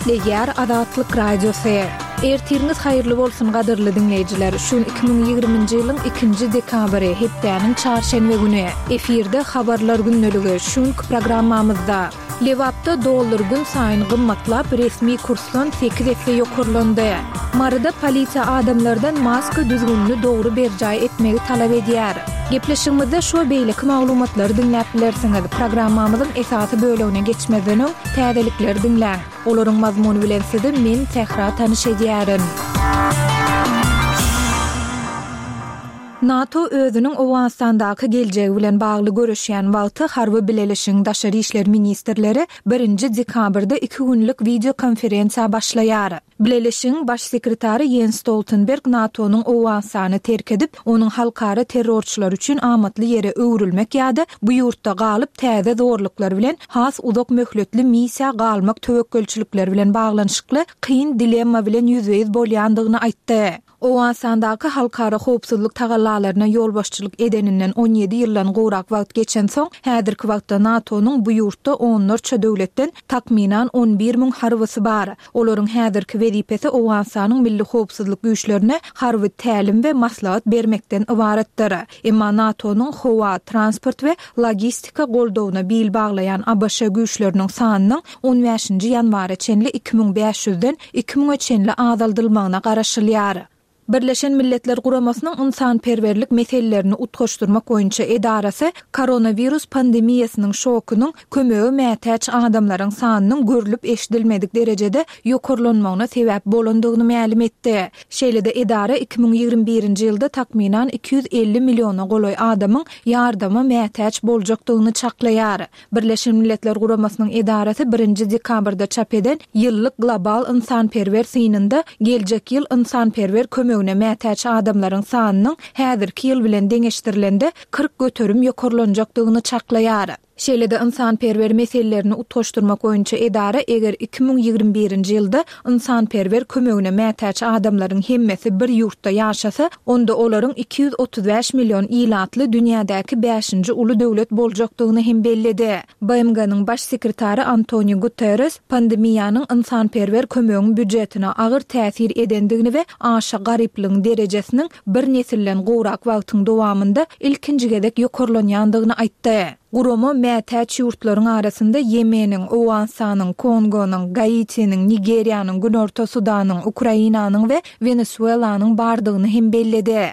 Gepleýär Azatlyk Radiosy. Ertiriňiz haýyrly bolsun gadyrly diňleýjiler. Şu gün 2020-nji ýylyň ikinji dekabry, hepdäniň çarşenbe güni. Efirde Habarlar gündeligi, şu günki programmamyzda. Lebapda dollar gün saýyn gymmatlap, resmi kursdan sekiz esse ýokarlandy. Maryda polisiýa adamlardan maska düzgünini dogry berjaý etmegi talap edýär. Gepleşigimizde şu we beýleki maglumatlary diňläp bilersiňiz. Programmamyzyň esasy bölegine geçmezden öň, täzelikleri diňläň. Olaryň mazmuny bilen sizi men, Sähra tanyş edýärin. NATO özüniň Owganystandaky geljegi bilen bagly göreşýän wagty harby bileleşigiň daşary işler ministrleri birinji dekabrda iki günlük wideokonferensiýa başlaýar. Bileleşigiň Baş sekretary Ýens Stoltenberg NATO-nyň Owganystany terk edip, onuň halkara terrorçylar üçin amatly ýere öwrülmek ýa-da bu ýurtda galyp täze zorluklar bilen has uzak möhletli missiýa galmak töwekgelçilikleri bilen baglanyşykly kyn dilemma bilen ýüzbe-ýüz bolýandygyny aýtdy. Owganystandaky halkara howpsuzlyk tagallalaryna ýolbaşçylyk edeninden 17 ýyldan gowrak wagt geçensoň, häzirki wagtda NATO-nyň bu ýurtda onlarça döwletden takmynan 11 müň harbysy bar. Olaryň häzirki wezipesi Owganystanyň milli howpsuzlyk güýçlerine harby tälim we maslahat bermekden ybaratdyr. Emma NATO-nyň howa, transport we logistika goldawyna bil baglaýan ABŞ güýçleriniň sanynyň on bäşinji ýanwara çenli 2500-den iki müňe çenli azaldylmagyna garaşylýar. Birleşen Milletler Guramasynyň ynsanperwerlik meselelerini utgaşdyrmak boýunça edarasy koronawirus pandemiýasynyň şokunyň kömege mätäç adamlaryň sanynyň görlüp-eşidilmedik derejede ýokarlanmagyna sebäp bolandygyny mälim etdi. Şeýle-de edara 2021-nji ýylda takmynan 250 milliona golaý adamyň ýardama mätäç boljakdygyny çaklaýar. Birleşen Milletler Guramasynyň edarasy birinji dekabrda çap eden ýyllyk global ynsanperwer synynda geljek ýyl ynsanperwer kömegine mätäç adamlaryň sanynyň häzirki ýyl bilen deňeşdirilende 40% ýokarlanjakdygyny çaklaýar. Şeýle-de ynsanperwer meselelerini utgaşdyrmak boýunça edara eger 2021-nji ýylda ynsanperwer kömegine mätäç adamlaryň hemmesi bir ýurtda ýaşasa, onda olaryň 235 million ilatly dünýädäki bäşinji uly döwlet boljakdygyny hem belledi. BMG-niň Baş sekretary Antoniu Guterres pandemiýanyň ynsanperwer kömegiň býujetine agyr täsir edendigini we aşa garyplygyň derejesiniň bir nesilden gowrak wagtyň dowamynda ilkinji gezek ýokarlanýandygyny aýtdy. Gurama mätäç ýurtlaryň arasynda Ýemeniň, Owganystanyň, Kongonyň, Gaitiniň, Nigeriýanyň, Günorta Sudanyň, Ukrainanyň we Wenesuelanyň bardygyny hem belledi.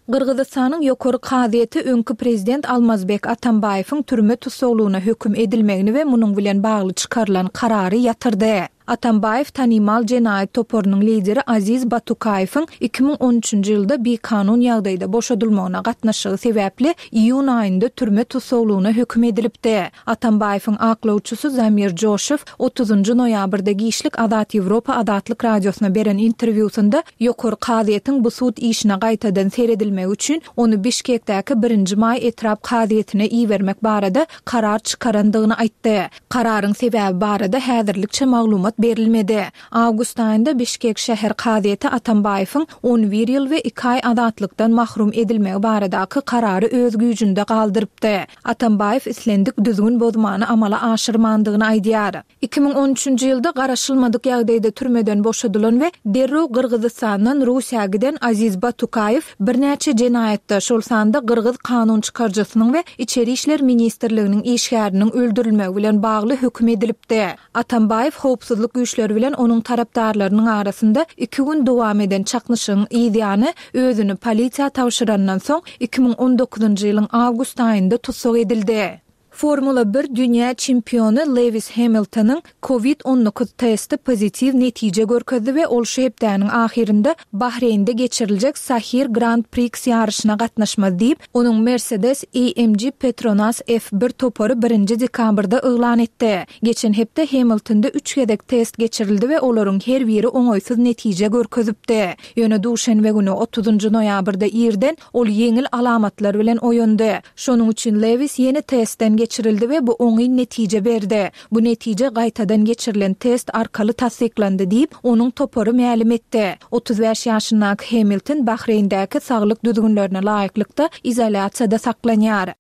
Gyrgyzystanyň Ýokary kazyýeti öňki prezident Almazbek Atambaýewiň türme tussaglygyna höküm edilmegini we munuň bilen bagly çykarylan karary ýatyrdy. Atambaýew tanymal jenaýat toparynyň lideri Aziz Batukaýewiň 2013-nji ýylda bikanun ýagdaýda boşadylmagyna gatnaşygy sebäpli iýun aýynda türme tussaglygyna höküm edilipdi. Atambaýewiň aklawçysy Zamir Joşew otuzynjy noýabrda giçlik Azat Ýewropa Azatlyk Radiosyna beren interwýusynda Ýokary kazyýetiň bu sud işine gaýtadan seredilmegi üçin ony Bişkekdäki Birinji maý etrap kazyýetine ibermek barada karar çykarandygyny aýtdy. Kararyň sebäbi barada häzirlikçe maglumat berilmedi. Awgust aýynda Bişkek şäher kazyýeti Atambaýewiň 11 ýyl we iki aý azatlykdan mahrum edilmegi baradaky karary öz güýjünde galdyrypdy. Atambaýew islendik düzgün bozmany amala aşyrmandygyny aýdýar. 2013-nji ýylda garaşylmadyk ýagdaýda türmeden boşadylan we derrew Gyrgyzystandan Russiýa giden Aziz Batukaýew birnäçe jenaýatda, şol sanda gyrgyz kanun çykaryjysynyň we Içeri işler ministrliginiň işgäriniň öldürilmegi bilen bagly höküm edilipdi. Atambaýew howpsuzlyk güýçleri bilen onuň tarapdarlarynyň arasynda iki gün dowam eden çaknyşygyň yz ýany özüni polisiýa tabşyrandan soň, 2019-njy ýylyň awgust aýynda tussag edildi. Formula bir dünýä çempiony Lewis Hemiltonyň Covid 19 testi pozitiw netije görkezdi we ol şu hepdäniň ahyrynda Bahreýnde geçiriljek Sahir Grand Prix ýaryşyna gatnaşmaz diýip, onuň Mercedes AMG Petronas F bir topary birinji dekabrda yglan etdi. Geçen hepde Hemiltonda üç gezek test geçirildi we olaryň her biri oňaýsyz netije görkezipdi. Ýöne duşenbe güni, otuzynjy noýabrda irden ol ýeňil alamatlar bilen oýandy. Şonuň üçin Lewis ýene testden geçirildi we bu oňyn netije berdi. Bu netije gaýtadan geçirilen test arkaly tassyklandy diýip, onuň topary mälim etdi. 35 ýaşyndaky Hemilton Bahreýndäki saglyk düzgünlerine laýyklykda izolýasiýada saklanýar.